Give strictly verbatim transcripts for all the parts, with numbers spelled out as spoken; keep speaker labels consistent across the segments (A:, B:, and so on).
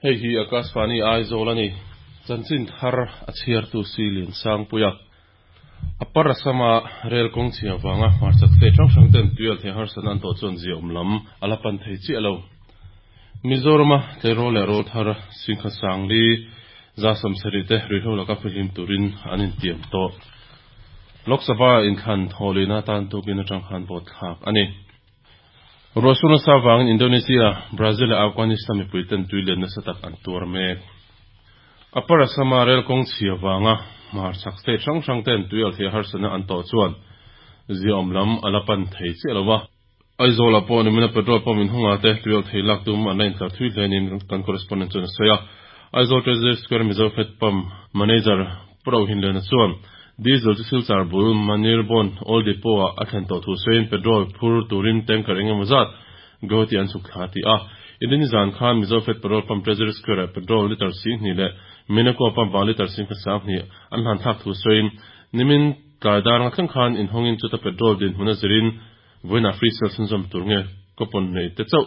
A: Hei hi Akashvani Aizawl ani. Chanchin thar a chhiartu silin Sangpuia. Upper Assam-a rel kawng chhia vanga hmarchhak state hrang hrang ten tuial thei harsatna an tawh chuan zia awm lam a la pan thei chiah lo. Mizorama tleirawl leh rawl thar singkhat sangli za sawmsarih te ruihhlo laka fihlim turin an intiam tawh. Lok Sabha inthlan thawhlina tan tukin atang khan vote thlak ani. Ruahsur nasa vangin Indonesia, Brazil leh Afghanistan mipui ten tui len nasa tak an tuar mek. Upper Assam-a rel kawng chhia vanga hmarchhak state hrang hrang ten tuial thei harsatna an tawh chuan zia awm lam a la pan thei chiah lo va. Aizawl ah pawh nimina petrol pump inhawngah te tuial thei lak tum an la intlar thui hlenin kan correspondent chuan a sawi a. Aizawl Treasury Square Mizo Fed Pump manager Pu Rohinlena chuan diesel chu Silchar bul Manirbawn Oil Depot ah a thlen tawh thu sawiin petrol phur turin tanker engemaw zat Guwahati an chhuk thla a ti a. Indini zan khan Mizo Fed Petrol Pump Treasury Square ah petrol litre singhnih leh Minako pump ah litre singkhat sanghnih an hlan thlak thu sawiin nimin tlai dar nga thleng khan inhawngin chuta petrol dinhmun a zirin vawiinah free sale chhunzawm tur nge coupon nei te chauh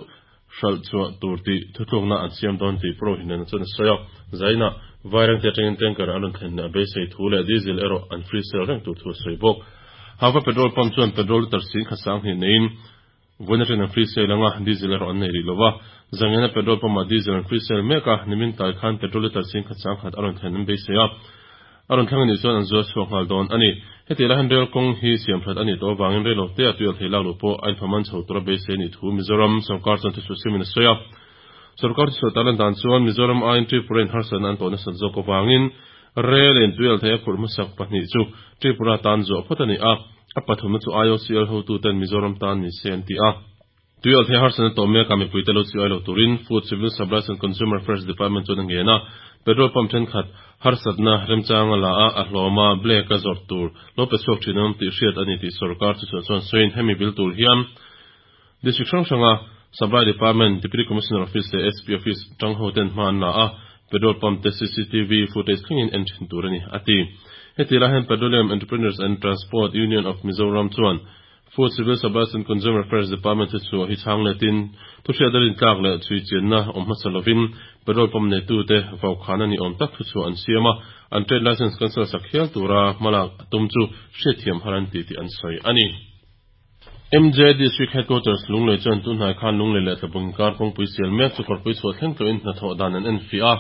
A: hralh chhuah tur tih thutlukna an siam dawn tih Pu Rohinlena chuan a sawi a. Zaina Vairengte atangin tanker an rawn thlen a beisei thu leh diesel erawh an free sale reng tur thu a sawi bawk. Hava petrol pump chuan petrol litre singkhat sanghnih neiin vawiin atangin an free sale anga diesel erawh an nei rih lo va. Zangiana petrol pump ah diesel an free sale mek a, nimin tlai khan petrol litre singkhat sangkhat a rawn thlen an beisei a. A rawn thleng anih chuan an zual chhuak nghal dawn ani. Heti lai hian rel kawng hi siam that anih tawh avangin rel lo te a tuial thei lak loh pawh a inphaman chho tura beisei anih thu Mizoram sorkar chuan thuchhuah siamin a sawi a. Sorkar thuchhuah tarlan dan chuan Mizoram aiin Tripura in harsatna an tawh nasat zawk avangin rel in tuial thei a phurh hmasak pahnih chu Tripura tan zuah phawt ani a, a pathumna chu I O C L hotuten Mizoram tan ni se an ti a. Tuial thei harsatna tawh mek a mipuite lo chiai lo turin Food, Civil Supplies and Consumer Affairs Department chuan a ngen a. Petrol pump thenkhat harsatna remchanga la a a hlawma black a zawrh tur lo pe chhuak thin an awm tih hriat ani tih sorkar chu chuan sawiin hemi bil tur hian district hrang hranga Supply Department, Deputy Commissioner Office leh S P Office tang ho ten hma an la a, petrol pump te C C T V footage thlengin en thin tur ani a ti. Heti lai hian Petroleum Entrepreneurs and Transport Union of Mizoram chuan Food, Civil Supplies and Consumer Affairs Department chu chhuah hi chhang letin thuhriat a rintlak leh chhui chianna awm hmasa lovin petrol pump neitute vaukhana ni awm tak thuchhuah an siam a, an trade licence cancel sak hial tura hmalak a tum chu hriatthiam har an ti tih an sawi a ni. M J District Headquarters Lunglei chuan tunhnai khan Lunglei leh Tlabung inkar kawngpui sial mek chu kawrpui chhuah thleng tawhin hnathawh dan an enfiah a.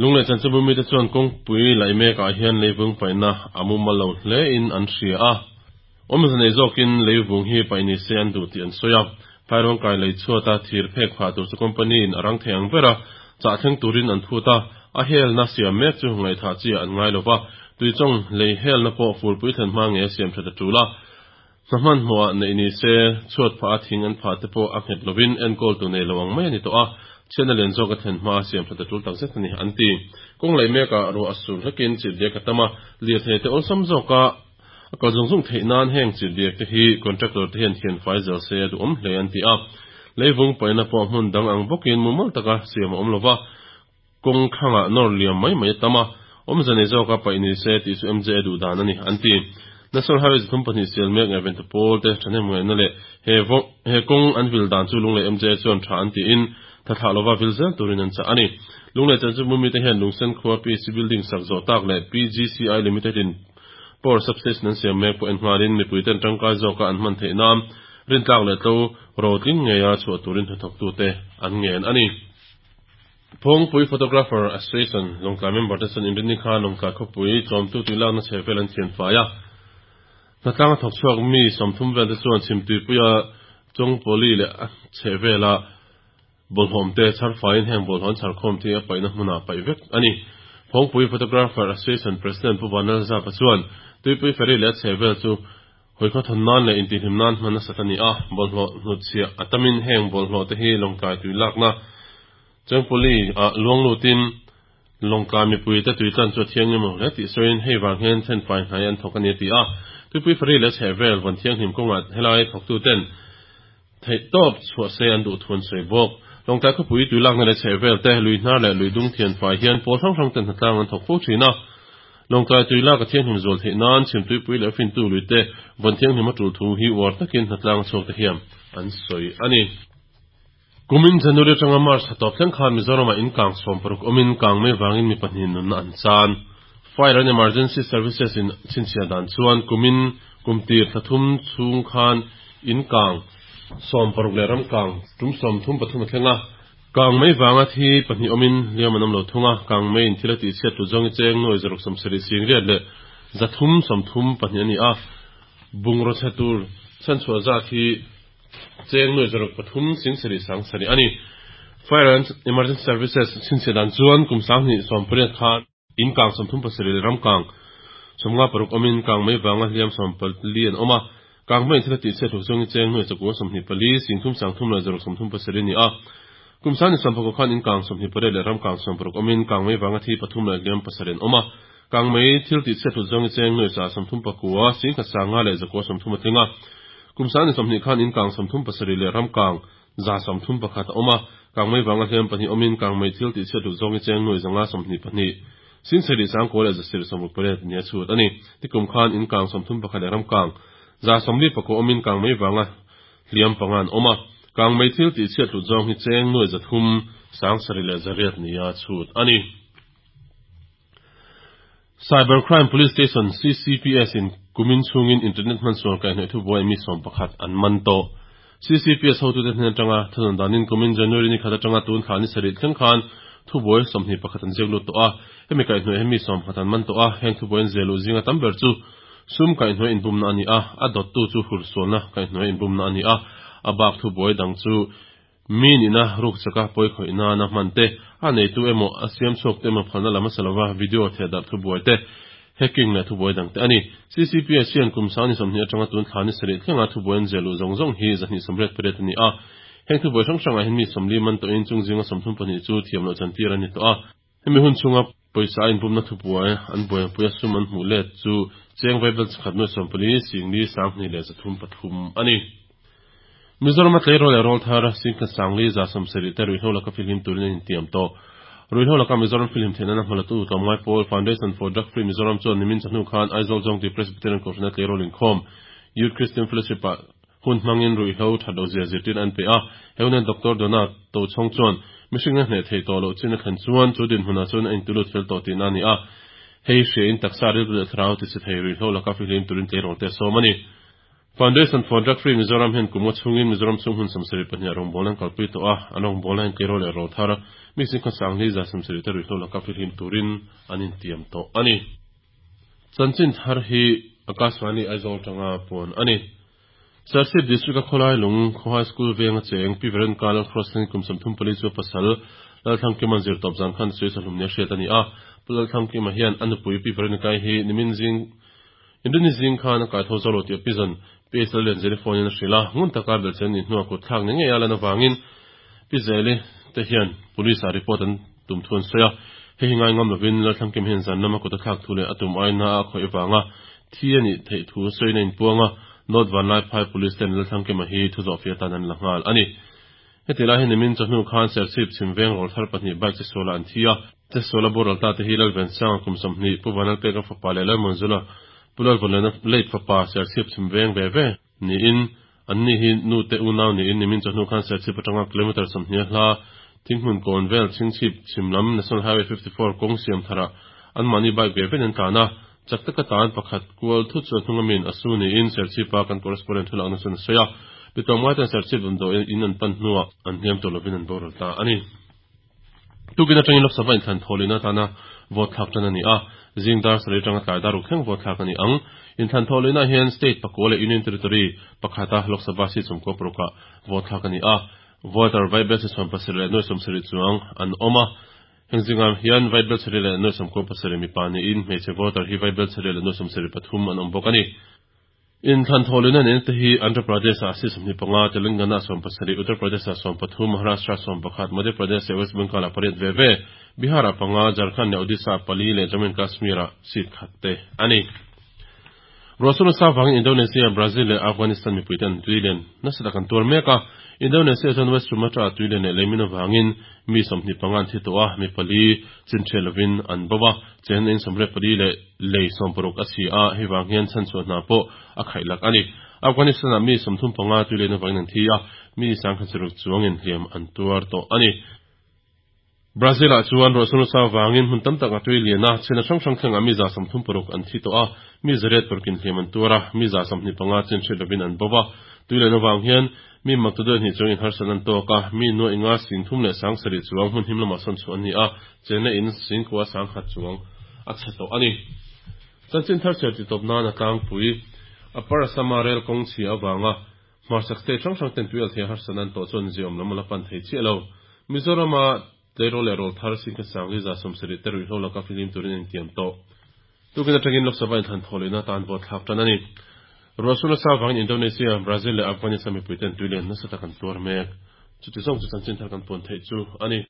A: Lunglei chanchinbu mite chuan kawngpui laih mekah hian leivung paihna a mumal lo hlein an hria a. Awmze nei zawkin leivung hi paih ni se an duh tih an sawi a. Phairawng kai lei chhuata thir phek phah tur chu company in a rang thei ang ber a, chah thleng turin an phut a, a helna siam mek chu ngaihthah chi an ngai lo va, tuichawng lei helna pawh furpui thlen hma nge siam that a tul a. Hna hmanhmawhah neih ni se chhuat phah a thing an phah te pawh a nghet lovin enkawl tu nei lo ang mai a ni tawh a, chhiatna lian zawk a thlen hma a siam that a tul takzet a ni an ti. Kawng lei mekah ruah a sur hlekin chirhdiak a tam a, lirthei te awlsam zawka a kal zung zung theih nan heng chirhdiak te hi contractor te hian thian fai zel se a duhawm hle an ti a. Leivung paihna pawh hmun dang ang bawkin mumal taka siam a awm lo va, kawng thlangah nawr liam mai mai a tam a, awmze nei zawka paih ni se tih chu M J a duh dan a ni an ti. National Highway zathum pahnih sial mek ngaihven tu pawl te thahnem ngaihna leh he he kawng an vil dan chu Lunglei M J chuan tha an tiin tha thlah lova vil zel turin an chah a ni. Lunglei chanchinbu mite hian Lungsen khua P C Building sak zawh tak leh P G C I Limited in Power Substation an siam mek pawh en nghalin mipui ten tangkai zawka an hman theih nan rintlak leh tlo rotling ngeia chhuah turin hnathawktute an ngen a ni. Phawngpui Photographer Association Lawngtlai member te chuan inrinni khan Lawngtlai khawpui tlawmtu tuilakna chhe vel an thian fai a. Hnatlanga thawk chhuak mi sawmthum vel te chuan chhimtuipuia Chawngpawli leh a chhe vela bawlhhlawm te chhar faiin heng bawlhhlawm chharkhawm te a paihna hmunah paih vek a ni. Phawngpui Photographer Association President Pu Vanlal Zapa chuan tuipui ferry leh a chhe vel chu hawikhaw thawn nan leh intihhlim nan hman nasat a ni a, bawlhhlawh hnutchhiah a tamin heng bawlhhlawh te hi Lawngtlai tuilakna Chawngpawli ah luanglutin Lawngtlai mipui te tuitlan chu a thianghlim lo hle tih sawiin hei vang hian thenfai hnai an thawk a ni a ti a. Tuipui ferry leh chheh vel vawn thianghlim kawngah helai thawktuten theih tawp chhuah se an duh thu an sawi bawk. Lawngtlai khawpui tuilakna leh chheh vel te lui hnar leh lui dung thianfai hian pawl hrang hrang ten hnatlang an thawk fo thin a. Lawngtlai tuilak a thianghlim zual theih nan chhimtuipui leh fintu lui te vawn thianghlim a tul thu hi uar takin hnatlang a chhuak te hian an sawi a ni. Kumin January atanga March thla tawp thleng khan Mizoramah in kang sawm paruk awmin kang mai vangin mi pahnih nunna an chan. Fire and Emergency Services in chhinchhiah dan chuan kumin kum tir thla thum chhung khan in kang sawm paruk leh ram kang tum sawm thum pathum a thleng a. Kang mai vanga thi pahnih awmin hliam an awm lo thung a, kang mai in thil a tih chhiat tu zawng i cheng nuai zaruk sawmsarih sing riat leh zathum sawmthum pahnih a ni a, bungraw chhe tur chhanchhuah zat hi cheng nuai zaruk pathum sing sarih sang sarih a ni. Fire and Emergency Services chhinchhiah dan chuan kum sanghnih sawm pariat khan in kang sawmthum pasarih leh ram kang sawmnga paruk awmin kang mai vanga hliam sawm pali an awm a, kang mai in thil a tih chhiat hluk zawng i cheng nuai chakua sawmhnih pali singthum sangthum leh zaruk sawmthum pasarih a ni a. Kum sani sawm pakua khan in kang sawmhnih pariat leh ram kang sawm paruk awmin kang mai vanga thi pathum leh hliam pasarih an awm a, kang mai thil tih chhiat hlut zawng i cheng nuai za sawmthum pakua singkhat sanga leh zakua sawmthum a tling a. Kum sani sawmhnih khan in kang sawmthum pasarih leh ram kang za sawmthum pakhat a awm a, kang mai vanga hliam pahnih awmin kang mai thil tih chhiat hlut zawng i cheng nuai zanga sawmhnih pahnih singsarih sangkaw leh zasarih sawmruk pariat nia chhut a ni. Tikum khan in kang sawmthum pakhat leh ram kang za sawmli pakua awmin kang mai vanga hliam panga an awm a, kang mai thil tih chhiat hlut zawng hi cheng nuai zathum sangsarih leh zariat nia chhut a ni. Cybercrime Police Station C C P S in kumin chungin internet hmansual kaihhnawih thubuai mi sawm pakhat an man tawh. C C P S hotute hnen atanga thunawn danin kumin January ni khat atanga tun thla ni sarih thleng khan thubuai sawmhnih pakhat an ziak lut tawh a, hemi kaihhnawih he mi sawm pakhat an man tawh a, heng thubuai an ziah luh zinga tam ber chu sum kaihhnawih inbumna a ni a, a dawttu chu hursualna kaihhnawih inbumna a ni a, a bak thubuai dang chu mi nihna ruk chaka pawi khawih nana hman te, a neitu emaw a siam chhuak te emaw phalna lam a salova video thehdarh thubuai te, hacking leh thubuai dang te a ni. C C P S hian kum sangni sawmhnih atanga tun thla ni sarih thlenga thubuai an ziah luh zawng zawng hi zahnih sawmriat pariat a ni a. Heng thubuai hrang hrangah hian mi sawmli man tawhin chung zinga sawmthum pahnih chu thiam loh chantir a ni tawh a. Hemi hun chhunga pawisa a inbumna thubuai an buaipui a sum an hmuh let chu cheng vaibel chakhat nuai sawmpali singli sanghnih leh zathum pathum a ni. Mizoram a tleirawl leh rawl thar singkhat sangli za sawmsarih te ruihhlo laka filhim turin an intiam tawh. Ruihhlo laka Mizoram filhim theihna na hmalatu tlawmngai pawl Foundation for Drug Free Mizoram chuan nimin chahnu khan Aizawl Zawngtui Presbyterian Kohhrana tleirawl inkhawm Youth Christian Fellowship ah hun hmangin ruihhlo that lo zia zirtir an pe a. He hunan Doctor Dona Tochhawng chuan mihring a hneh thei tawh loh chin a thlen chuan chu dinhmunah chuan a intulut fel tawh tihna a ni a. Hei hria in taksa rilru leh thlarau ti che thei ruihhlo laka filhim turin tleirawl te a sawm a ni. Foundation for Drug Free Mizoram hian kum nga chhungin Mizoram chhung hun sawmsarih pahnih a rawngbawlna an kalpui tawh a, an rawngbawlna hian tleirawl leh rawl thar mi singkhat sangli za sawmsarih te ruihhlo laka filhim turin an intiam tawh a ni. Chanchin thar hi Akashvani Aizawl tanga puan a ni. Serchhip District a khawlai lung Khawhai School venga cheng Pi Veronica Lalcross-in kum sawmthum pali chu pasal Lalthlangkima zir tawp zan khan sawi sahlum nia hriat a ni a. Pu Lalthlangkima hian a nupui Pi Veronica-i hi nimin zing Inrini zing khan a kaitho zo lo tih a pizan Pi Esel Lianzeli phone in a hrilh a, ngun taka belhchian nih hnuah kut thlak ni ngei a lan avangin Pi Zeli te hian police ah report an tum thu an sawi a. Hei hi ngai ngam lovin Lalthlangkim hian zan lama kut a thlak thu leh a tum aina a khawih avanga thi a nih theih thu sawiin a inpuang a, North Vanlaiphai Police ten Lalthlangkima hi thu zawhfiah atan an la nghal a ni. Heti lai hi nimin chawhnu khan Serchhip chhim veng rawl thar pahnih bike chesualah an thi a. Chesuala boral ta te hi Lalvensanga kum sawmhnih, Pu Vanlalpeka fapa leh Lalmunzula Pu Lalvawnlena late fapa Serchhip chhim veng ve ve niin anni hi nu te unau niin nimin chawhnu khan Serchhip atanga kilometre sawmhnih a hla Thinghmun kawn vel Chhingchhip chhim lam National Highway fifty four kawng siam tharah anmahni bike ve vein an tlan a. Chak taka tan pakhat kual thut chu a hnung amin a su niin Serchhipa kan correspondent thulakna chuan a sawi a. Mitlawmngai ten Serchhip damdawi in an pan hnuah an hliam tur lovin an boral ta a ni. Tukin atangin Lok Sabha inthlan thawhlihna atana vote thlak tan a ni a, zing dar sarih atanga tlai dar ruk thleng vote thlak a ni ang. Inthlan thawhlihna hian state pakua leh union territory pakhata Lok Sabha seat sawmkua parukah vote thlak a ni a. Voter vaibel chi sawm pasarih leh nuai sawmsarih chuang an awm a. Heng zingah hian vaibel sarih leh nuai sawmkua pasarih mipa niin hmeichhe voter hi vaibel sarih leh nuai sawmsarih pathum an awm bawk a ni. Inthlan thawhlihna nen te hi Andhra Pradesh ah six sawmhnih panga, Telangana ah sawm pasarih, Uttar Pradesh ah sawm pathum, Maharashtra ah sawm pakhat, Madhya Pradesh leh West Bengal ah pariat ve ve, Bihar ah panga, Jharkhand leh Odisha ah pali leh Jammu and Kashmir ah seat khat te a ni. Ruahsur nasa avangin Indonesia, Brazil leh Afghanistan mipuite an tui len nasa tak an tuar mek a. Indonesia chuan West Sumatra ah tui len leh leimin avangin mi sawmhnih panga an thi tawh a, mi pali chin ṭhiat lovin an bo a, chen in sawmriat pali leh lei sawm paruk a si a, hei vang hian chhanchhuah hna pawh a khaih lak a ni. Afghanistan-ah mi sawmthum panga tuilen avangin an thi a, mi sangkhat saruk chuangin hliam an tuar tawh a ni. Brazil-ah chuan ruah sur nasa avangin hmun tam tak a tui lian a, chhena hrang hrang thlengah mi za sawmthum paruk an thi tawh a, mi zariat parukin hliam an tuar a, mi za sawmhnih panga chin hriat lovin an bo va. Tuilen avang hian mi maktaduai hnih chuangin harsatna an tawk a, mi nuaih nga singthum leh sang sarih chuang hmun him lamah sawn chhuah an ni a, chenna in singkua sangkhat chuang a chhe tawh a ni. Chanchin thar chhiar titawp nan a tlangpui Upper Assam-a rel kawng chhia avanga hmarchhak state hrang hrang ten tuialthei harsatna an tawh chuan ziaawm lam a la pan thei chiah lo. Mizorama tleirawl leh rawl thar Singkhat Sangli za sawmsarih te ruihhlo laka fihlim turin a intiam tawh. Tukin atangin Lok Sabha inthlan thaw lehna atan vote thlak tan a ni. Ruahsur nasa avangin Indonesia, Brazil leh Afghanistan mipuiten tuilian nasa tak an tuar mek. Chuti zawng chu chanchin thar kan puan theih chu a ni.